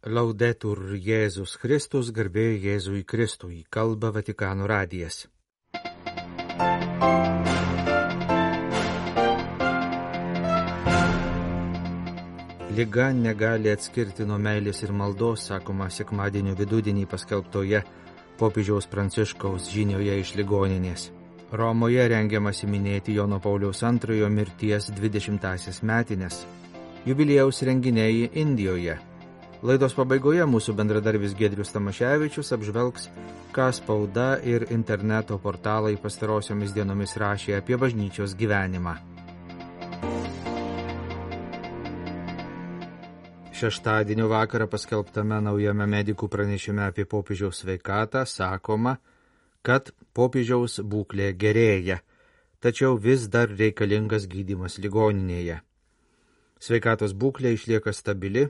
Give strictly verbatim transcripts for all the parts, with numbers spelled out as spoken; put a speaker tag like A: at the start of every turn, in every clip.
A: Laudetur Jėzus Kristus, garbė Jėzui Kristui, kalba Vatikano radijas. Liga negali atskirti nuo meilės ir maldos, sakoma sekmadienio vidudienį paskelbtoje popiežiaus Pranciškaus žinioje iš ligoninės. Romoje rengiamasi minėti Jono Pauliaus antrojo mirties dvidešimtąsias metines. Jubiliejaus renginiai Indijoje. Laidos pabaigoje mūsų bendradarbis Giedrius Tamaševičius apžvelgs, ką spauda ir interneto portalai pastarosiomis dienomis rašė apie bažnyčios gyvenimą. Šeštadienio vakarą paskelbtame naujame medikų pranešime apie popiežiaus sveikatą sakoma, kad popiežiaus būklė gerėja, tačiau vis dar reikalingas gydymas ligoninėje. Sveikatos būklė išlieka stabili,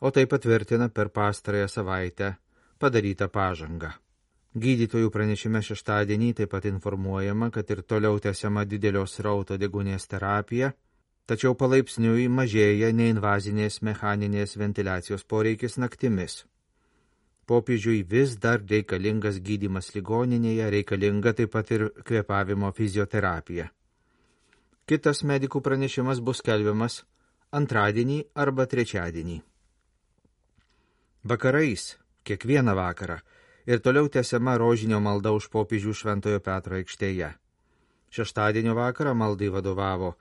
A: o tai patvirtina per pastarąją savaitę padarytą pažangą. Gydytojų pranešime šeštadienį taip pat informuojama, kad ir toliau tęsiama didelio srauto deguonies terapija, tačiau palaipsniui mažėja neinvazinės mechaninės ventiliacijos poreikis naktimis. Popiežiui vis dar reikalingas gydymas ligoninėje, reikalinga taip pat ir kvėpavimo fizioterapija. Kitas medikų pranešimas bus skelbiamas antradienį arba trečiadienį. Vakarais, kiekvieną vakarą, ir toliau tęsiama rožinio malda už popiežių Šventojo Petro aikštėje. Šeštadienio vakarą maldai vadovavo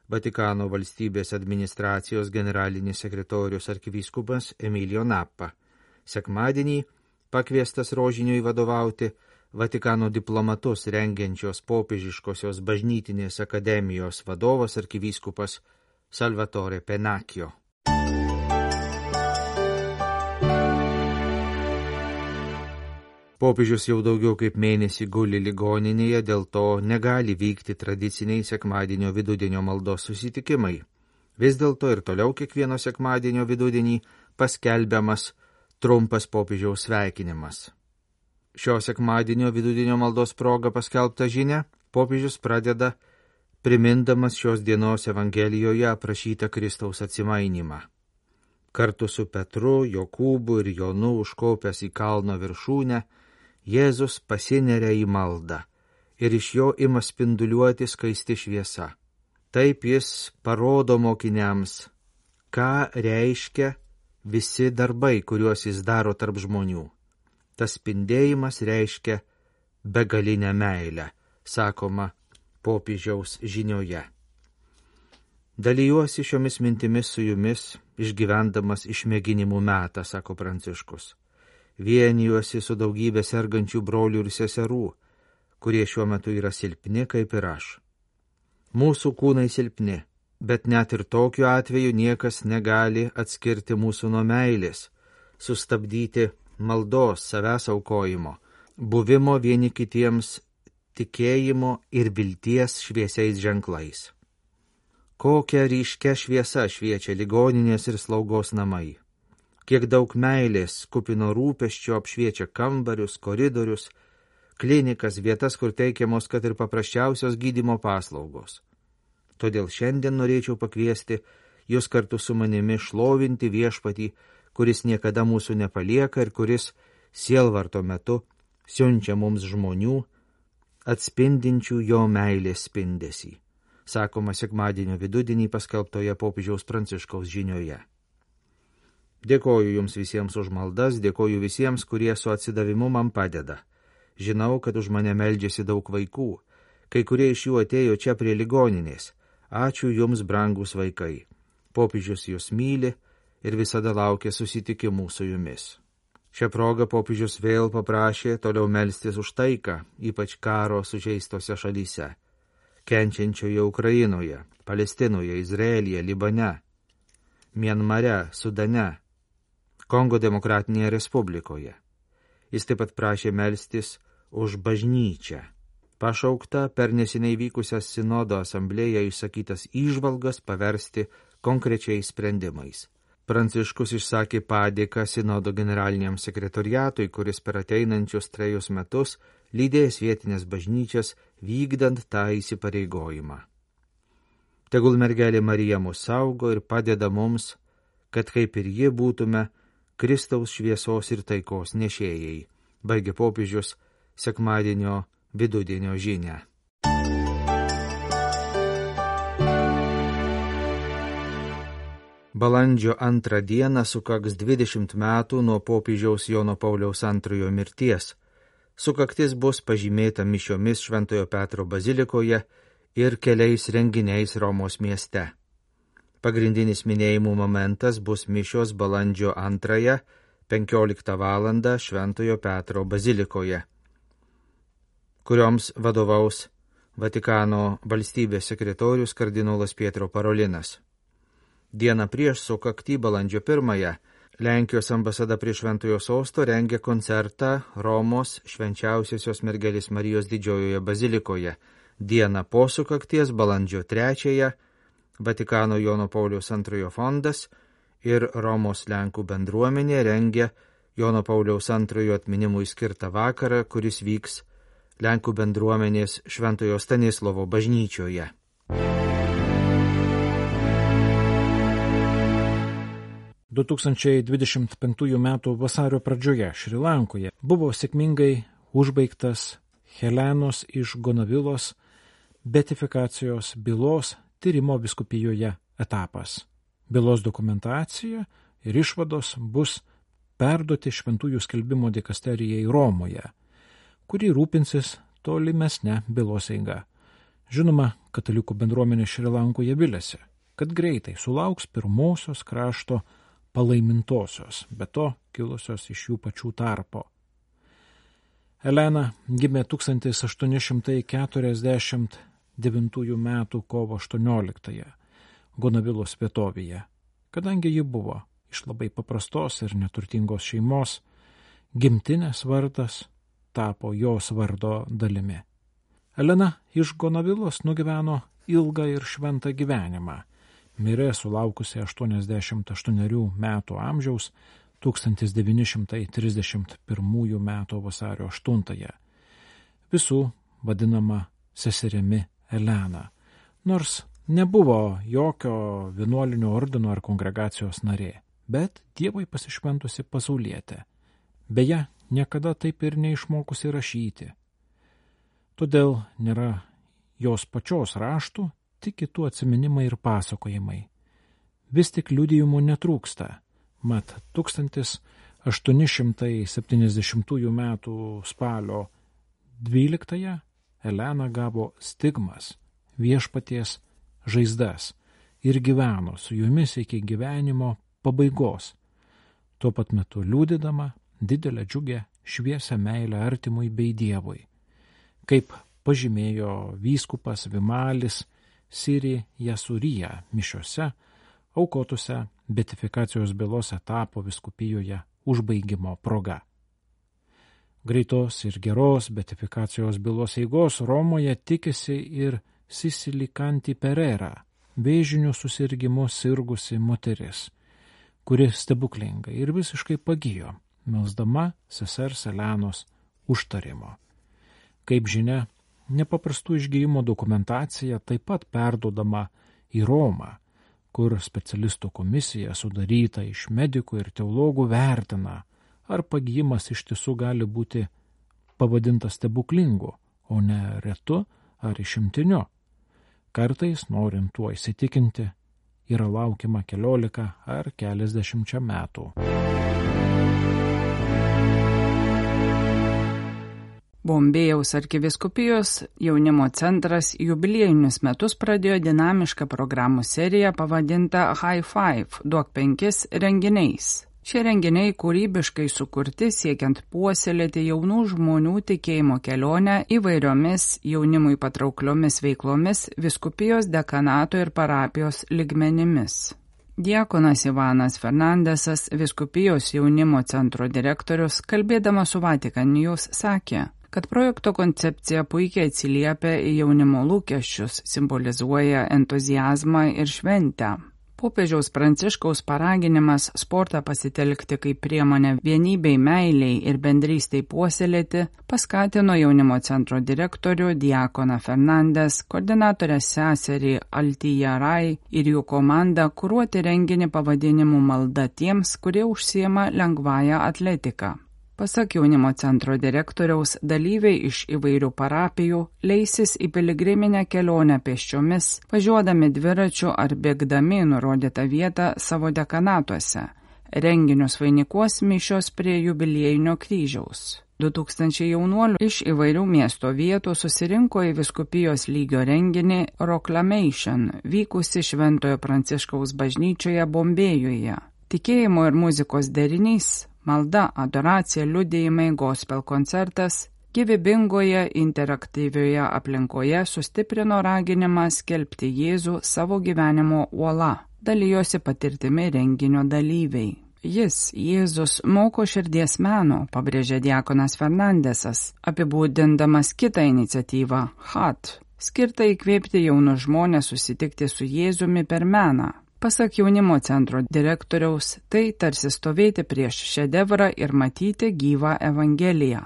A: Vatikano valstybės administracijos generalinis sekretorius arkivyskupas Emilio Nappa. Sekmadienį pakviestas rožiniui vadovauti Vatikano diplomatus rengiančios popiežiškosios bažnytinės akademijos vadovas arkivyskupas Salvatore Pennacchio. Popiežius jau daugiau kaip mėnesį guli ligoninėje, dėl to negali vykti tradiciniai sekmadienio vidudienio maldos susitikimai. Vis dėlto ir toliau kiekvieno sekmadienio vidudienį paskelbiamas trumpas popiežiaus sveikinimas. Šio sekmadienio vidudienio maldos proga paskelbta žinia, popiežius pradeda primindamas šios dienos Evangelijoje aprašytą Kristaus atsimainimą. Kartu su Petru, Jokūbu ir Jonu užkopęs į kalno viršūnę, Jėzus pasineria į maldą ir iš jo ima spinduliuoti skaisti šviesa. Taip jis parodo mokiniams, ką reiškia visi darbai, kuriuos jis daro tarp žmonių. Tas spindėjimas reiškia begalinę meilę, sakoma popiežiaus žinioje. Dalijuosi šiomis mintimis su jumis, išgyvendamas išmėginimų metą, sako Pranciškus. Vienijuosi su daugybė sergančių brolių ir seserų, kurie šiuo metu yra silpni kaip ir aš. Mūsų kūnai silpni, bet net ir tokiu atveju niekas negali atskirti mūsų nuo meilės, sustabdyti maldos, savęs aukojimo, buvimo vieni kitiems tikėjimo ir vilties šviesiais ženklais. Kokia ryškia šviesa šviečia ligoninės ir slaugos namai. Kiek daug meilės, kupino rūpesčio apšviečia kambarius, koridorius, klinikas, vietas, kur teikiamos kad ir paprasčiausios gydymo paslaugos. Todėl šiandien norėčiau pakviesti jūs kartu su manimi šlovinti viešpatį, kuris niekada mūsų nepalieka ir kuris sielvarto metu siunčia mums žmonių, atspindinčių jo meilės spindesį, sakoma sekmadienio vidudienį paskelbtoje popiežiaus Pranciškaus žinioje. Dėkoju jums visiems už maldas, dėkoju visiems, kurie su atsidavimu man padeda. Žinau, kad už mane meldžiasi daug vaikų, kai kurie iš jų atėjo čia prie ligoninės. Ačiū jums, brangus vaikai. Popiežius jūs myli ir visada laukia susitikimų su jumis. Šią progą popiežius vėl paprašė toliau melstis už taiką, ypač karo sužeistose šalyse, kenčiančioje Ukrainoje, Palestinoje, Izraelyje, Libane, Mianmare, Sudane, Kongo Demokratinėje Respublikoje. Jis taip pat prašė melstis už bažnyčią, pašaukta per neseniai vykusią sinodo asamblėją išsakytas įžvalgas paversti konkrečiais sprendimais. Pranciškus išsakė padėką sinodo generaliniam sekretoriatui, kuris per ateinančius trejus metus lydės vietinės bažnyčias vykdant tą įsipareigojimą. Tegul mergelė Marija mus saugo ir padeda mums, kad kaip ir ji būtume Kristaus šviesos ir taikos nešėjai, baigė popiežius sekmadienio vidudienio žinią. Balandžio antrą dieną sukaks dvidešimt metų nuo popiežiaus Jono Pauliaus antrojo mirties. Sukaktis bus pažymėta mišiomis Šventojo Petro bazilikoje ir keliais renginiais Romos mieste. Pagrindinis minėjimų momentas bus mišios balandžio antrąją penkioliktą valandą Šventojo Petro bazilikoje, kurioms vadovaus Vatikano valstybės sekretorius kardinolas Pietro Parolinas. Dieną prieš sukaktį balandžio pirmąją Lenkijos ambasada prie Šventojo Sosto rengia koncertą Romos švenčiausiosios mergelės Marijos didžiojoje bazilikoje. Dieną po sukakties balandžio trečiąją Vatikano Jono Pauliaus antrojo fondas ir Romos Lenkų bendruomenė rengia Jono Pauliaus antrojo atminimui skirtą vakarą, kuris vyks Lenkų bendruomenės Šventojo Stanislovo bažnyčioje.
B: du tūkstančiai dvidešimt penktųjų metų vasario pradžioje Šri Lankoje buvo sėkmingai užbaigtas Helenos iš Gonavilos beatifikacijos bylos tyrimo vyskupijoje etapas. Bylos dokumentacija ir išvados bus perduoti Šventųjų skelbimo dikasterijai Romoje, kuri rūpinsis tolimesne bylos eiga. Žinoma, katalikų bendruomenė Šri Lankoje viliasi, kad greitai sulauks pirmosios krašto palaimintosios, be to kilusios iš jų pačių tarpo. Elena gimė tūkstantis aštuoni šimtai keturiasdešimt devintųjų metų kovo aštuonioliktąją Gonavilos vietovėje. Kadangi ji buvo iš labai paprastos ir neturtingos šeimos, gimtinės vardas tapo jos vardo dalimi. Elena iš Gonavilos nugyveno ilgą ir šventą gyvenimą. Mirė sulaukusi aštuoniasdešimt aštuonerių metų amžiaus tūkstantis devyni šimtai trisdešimt pirmųjų metų vasario aštuntąją. Visų vadinama seserimi Elena, nors nebuvo jokio vienuolinio ordino ar kongregacijos narė, bet Dievui pasišventusi pasaulietė. Beje, niekada taip ir neišmokusi rašyti. Todėl nėra jos pačios raštų, tik kitų atsiminimai ir pasakojimai. Vis tik liudijimų netrūksta, mat tūkstantis aštuoni šimtai septyniasdešimtųjų metų spalio dvyliktąją Elena gavo stigmas, viešpaties žaizdas ir gyveno su jumis iki gyvenimo pabaigos, tuo pat metu liūdėdama didelę džiugę šviesią meilę artimui bei Dievui. Kaip pažymėjo vyskupas Vimalis Siri Jasurija mišiose, aukotose beatifikacijos bylos etapo vyskupijoje užbaigimo proga. Greitos ir geros beatifikacijos bylos eigos Romoje tikisi ir Sisilikanti Perera, vėžiniu susirgimu sirgusi moteris, kuri stebuklingai ir visiškai pagijo, melsdama sesers Elenos užtarimo. Kaip žinia, nepaprastų išgijimo dokumentacija taip pat perduodama į Romą, kur specialistų komisija sudaryta iš medikų ir teologų vertina, ar pagijimas iš tiesų gali būti pavadintas stebuklingu, o ne retu ar išimtiniu. Kartais, norint tuo įsitikinti, yra laukiama keliolika ar keliasdešimčia metų.
C: Bombėjaus arkivyskupijos jaunimo centras jubiliejinius metus pradėjo dinamišką programų seriją pavadintą High Five – duok penkis renginiais. Šie renginiai kūrybiškai sukurti siekiant puoselėti jaunų žmonių tikėjimo kelionę įvairiomis jaunimui patraukliomis veiklomis vyskupijos, dekanato ir parapijos lygmenimis. Diakonas Ivanas Fernandesas, vyskupijos jaunimo centro direktorius, kalbėdamas su Vatikan News, sakė, kad projekto koncepcija puikiai atsiliepia į jaunimo lūkesčius, simbolizuoja entuziazmą ir šventę. Popiežiaus Pranciškaus paraginimas sportą pasitelkti kaip priemonę vienybei, meiliai ir bendrystei puoselėti paskatino jaunimo centro direktorių Diakoną Fernandes, koordinatorę seserį Altiją Rai ir jų komandą kuruoti renginį pavadinimu Malda tiems, kurie užsiema lengvąją atletiką. Pasak jaunimo centro direktoriaus, dalyviai iš įvairių parapijų leisis į piligriminę kelionę pėsčiomis, važiuodami dviračiu ar bėgdami nurodytą vietą savo dekanatuose. Renginius vainikuos mišios prie jubiliejinio kryžiaus. du tūkstančiai jaunuolių iš įvairių miesto vietų susirinko į vyskupijos lygio renginį Proclamation, vykusi Šventojo Pranciškaus bažnyčioje Bombėjuje. Tikėjimo ir muzikos derinys, malda, adoracija, liudijimai, gospel koncertas gyvybingoje interaktyvioje aplinkoje sustiprino raginimą skelbti Jėzų savo gyvenimo uola, dalijosi patirtimi renginio dalyviai. Jis, Jėzus, moko širdies meno, pabrėžė diakonas Fernandesas, apibūdindamas kitą iniciatyvą H A T, skirtą įkvėpti jaunus žmonės susitikti su Jėzumi per meną. Pasak jaunimo centro direktoriaus, tai tarsi stovėti prieš šedevrą ir matyti gyvą evangeliją.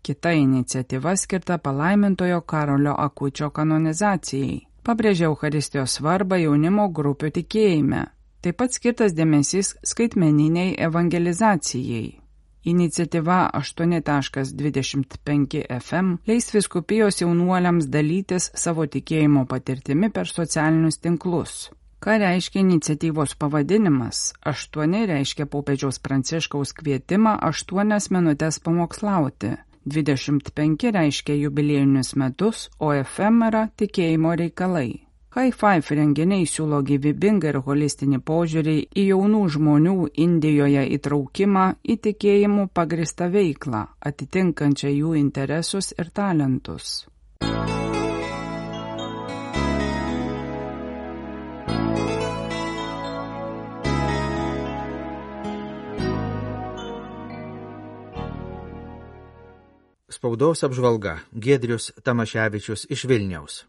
C: Kita iniciatyva skirta palaimintojo Karolio Akučio kanonizacijai. Pabrėžė Eucharistijos svarbą jaunimo grupių tikėjime. Taip pat skirtas dėmesys skaitmeniniai evangelizacijai. Iniciatyva aštuoni dvidešimt penki F M leis vyskupijos jaunuoliams dalytis savo tikėjimo patirtimi per socialinius tinklus. Ką reiškia iniciatyvos pavadinimas? aštuoni reiškia popiežiaus Pranciškaus kvietimą aštuonias minutės pamokslauti. dvidešimt penki reiškia jubiliejinius metus, o F M yra tikėjimo reikalai. High Five renginiai siūlo gyvybingą ir holistinį požiūrį į jaunų žmonių Indijoje įtraukimą į tikėjimų pagristą veiklą, atitinkančią jų interesus ir talentus.
A: Spaudos apžvalga. Giedrius Tamaševičius iš Vilniaus.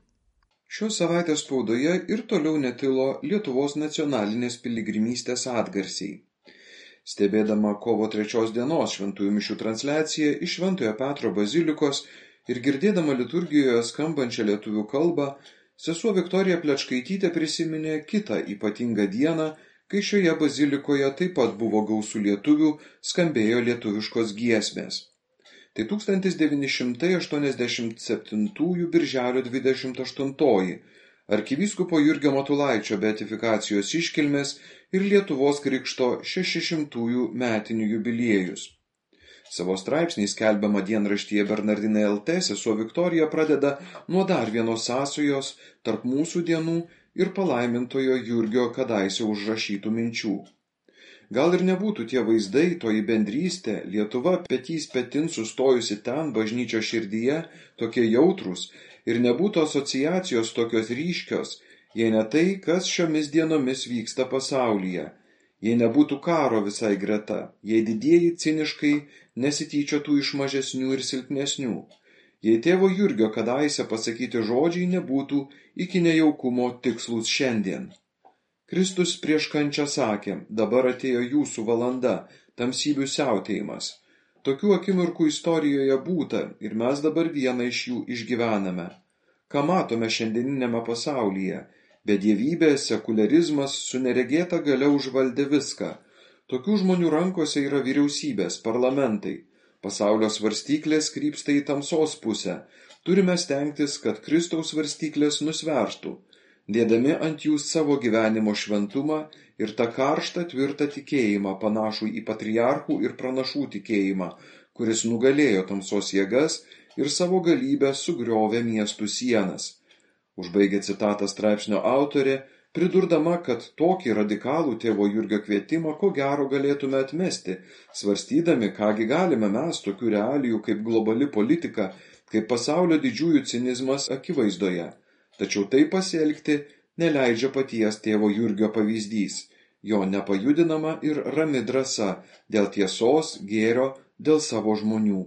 D: Šios savaitės spaudoje ir toliau netilo Lietuvos nacionalinės piligrimystės atgarsiai. Stebėdama kovo trečios dienos šventųjų mišių transliaciją iš Šventojo Petro bazilikos ir girdėdama liturgijoje skambančią lietuvių kalbą, sesuo Viktorija Plečkaitytė prisiminė kitą ypatingą dieną, kai šioje bazilikoje taip pat buvo gausų lietuvių, skambėjo lietuviškos giesmės. Tai tūkstantis devyni šimtai aštuoniasdešimt septintųjų birželio dvidešimt aštuntoji arkivyskupo Jurgio Matulaičio beatifikacijos iškilmės ir Lietuvos krikšto šešišimtųjų metinių jubiliejus. Savo straipsnį skelbiamą dienraštyje Bernardinai L T sesuo Viktorija pradeda nuo dar vienos sąsajos tarp mūsų dienų ir palaimintojo Jurgio kadaise užrašytų minčių. Gal ir nebūtų tie vaizdai, toji bendrystė, Lietuva petys petin sustojusi ten bažnyčio širdyje, tokie jautrūs, ir nebūtų asociacijos tokios ryškios, jei ne tai, kas šiomis dienomis vyksta pasaulyje, jei nebūtų karo visai greta, jei didieji ciniškai nesityčiotų iš mažesnių ir silpnesnių, jei tėvo Jurgio kadaise pasakyti žodžiai nebūtų iki nejaukumo tikslus šiandien. Kristus prieš kančią sakė, dabar atėjo jūsų valanda, tamsybių siautėjimas. Tokių akimirkų istorijoje būta ir mes dabar vieną iš jų išgyvename. Ką matome šiandieninėme pasaulyje? Bedievybė, sekuliarizmas su neregėta galia užvaldė viską. Tokių žmonių rankose yra vyriausybės, parlamentai. Pasaulio svarstyklės krypsta į tamsos pusę. Turime stengtis, kad Kristaus svarstyklės nusvertų, dėdami ant jų savo gyvenimo šventumą ir tą karštą tvirtą tikėjimą panašų į patriarchų ir pranašų tikėjimą, kuris nugalėjo tamsos jėgas ir savo galybę sugriovė miestų sienas. Užbaigė citatą straipsnio autorė, pridurdama, kad tokį radikalų tėvo Jurgio kvietimą ko gero galėtume atmesti, svarstydami, kągi galime mes tokių realijų kaip globali politika, kaip pasaulio didžiųjų cinizmas akivaizdoje. Tačiau tai pasielgti neleidžia paties tėvo Jurgio pavyzdys, jo nepajudinama ir rami drąsa dėl tiesos, gėrio, dėl savo žmonių.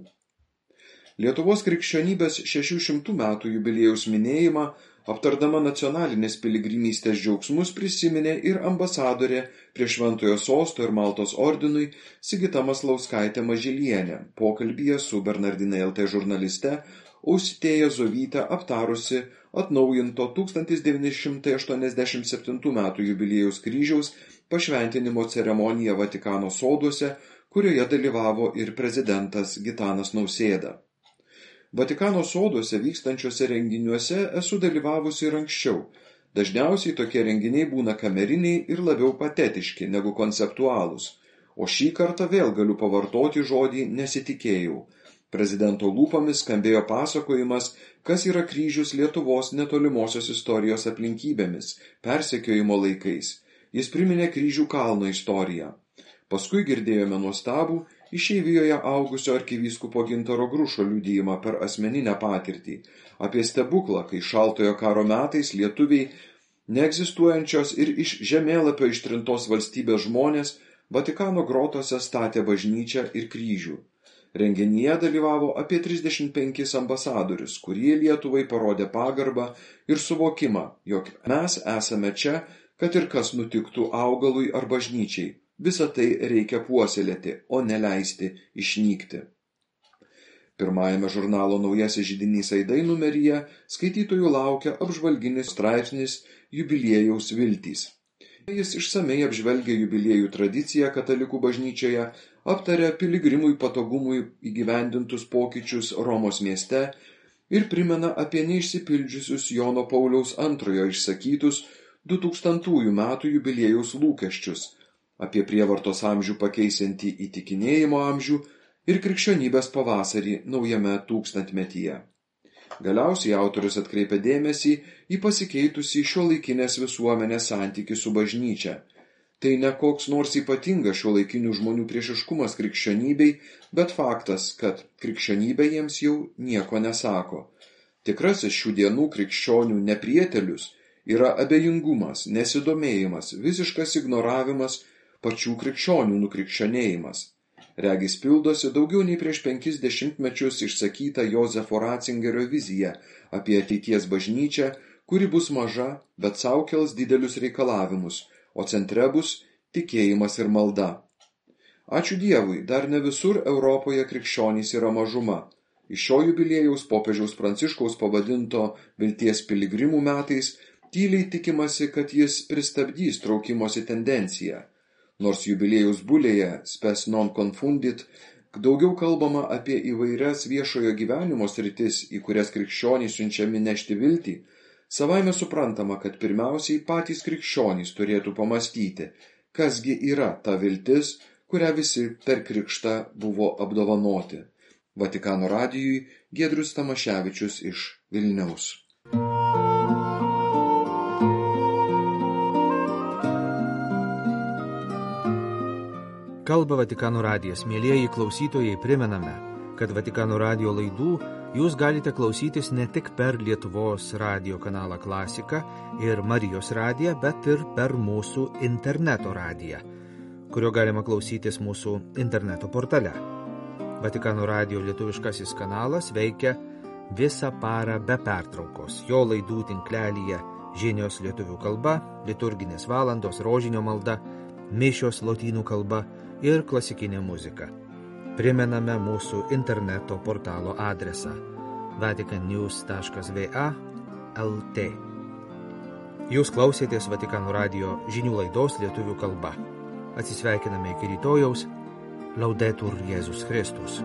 D: Lietuvos krikščionybės šešių šimtų metų jubiliejaus minėjimą Aptardama nacionalinės piligrimystės džiaugsmus prisiminė ir ambasadorė prie Šventojo Sosto ir Maltos ordinui Sigita Maslauskaitė Mažylienė, pokalbyje su Bernardinai L T žurnaliste Austėja Zovytė aptarusi atnaujinto tūkstantis devyni šimtai aštuoniasdešimt septintų metų jubiliejaus kryžiaus pašventinimo ceremoniją Vatikano soduose, kurioje dalyvavo ir prezidentas Gitanas Nausėda. Vatikano soduose vykstančiuose renginiuose esu dalyvavusi ir anksčiau. Dažniausiai tokie renginiai būna kameriniai ir labiau patetiški negu konceptualūs. O šį kartą vėl galiu pavartoti žodį nesitikėjau. Prezidento lūpomis skambėjo pasakojimas, kas yra kryžius Lietuvos netolimosios istorijos aplinkybėmis, persekiojimo laikais. Jis priminė kryžių kalno istoriją. Paskui girdėjome nuostabų išeivijoje augusio arkivyskupo Gintaro Grušo liudijimą per asmeninę patirtį apie stebuklą, kai šaltojo karo metais lietuviai, neegzistuojančios ir iš žemėlapio ištrintos valstybės žmonės, Vatikano grotose statė bažnyčią ir kryžių. Renginyje dalyvavo apie trisdešimt penkis ambasadorius, kurie Lietuvai parodė pagarbą ir suvokimą, jog mes esame čia, kad ir kas nutiktų augalui ar bažnyčiai. Visą tai reikia puoselėti, o neleisti išnykti. Pirmajame žurnalo Naujasis židinys Aidai numeryje skaitytojų laukia apžvalginis straipsnis Jubiliejaus viltys. Jis išsamei apžvelgia jubiliejų tradiciją katalikų bažnyčioje, aptaria piligrimui patogumui įgyvendintus pokyčius Romos mieste ir primena apie neišsipildžiusius Jono Pauliaus antrojo išsakytus du tūkstantųjų metų jubiliejaus lūkesčius, apie prievartos amžių pakeisiantį įtikinėjimo amžių ir krikščionybės pavasarį naujame tūkstantmetyje. Galiausiai autorius atkreipia dėmesį į pasikeitusį šiuolaikinės visuomenės santykį su bažnyčia. Tai ne koks nors ypatingas šiuolaikinių žmonių priešiškumas krikščionybei, bet faktas, kad krikščionybė jiems jau nieko nesako. Tikrasis šių dienų krikščionių neprietelius yra abejingumas, nesidomėjimas, visiškas ignoravimas, pačių krikščionių nukrikščionėjimas. Regis pildosi daugiau nei prieš penkis dešimtmečius išsakyta Jozefo Ratzingerio vizija apie ateities bažnyčią, kuri bus maža, bet sau kels didelius reikalavimus, o centre bus tikėjimas ir malda. Ačiū Dievui, dar ne visur Europoje krikščionys yra mažuma. Iš šio jubiliejaus popiežiaus Pranciškaus pavadinto Vilties piligrimų metais tyliai tikimasi, kad jis pristabdys traukimosi tendenciją. Nors jubiliejaus bulėje Spes non confundit daugiau kalbama apie įvairias viešojo gyvenimo sritis, į kurias krikščionys siunčiami nešti viltį, savaime suprantama, kad pirmiausiai patys krikščionys turėtų pamastyti, kasgi yra ta viltis, kurią visi per krikštą buvo apdovanoti. Vatikano radijui Giedrius Tamaševičius iš Vilniaus.
A: Kalba Vatikano radijas. Mielieji klausytojai, primename, kad Vatikano radijo laidų jūs galite klausytis ne tik per Lietuvos radijo kanalą Klasika ir Marijos radiją, bet ir per mūsų interneto radiją, kurio galima klausytis mūsų interneto portale. Vatikano radijo lietuviškasis kanalas veikia visą parą be pertraukos. Jo laidų tinklelyje žinios lietuvių kalba, liturginės valandos, rožinio malda, mišios lotynų kalba ir klasikinė muzika. Primename mūsų interneto portalo adresą vatican news taškas v a taškas l t. Jūs klausėtės Vatikano radijo žinių laidos lietuvių kalba. Atsisveikiname iki rytojaus. Laudetur Jėzus Kristus.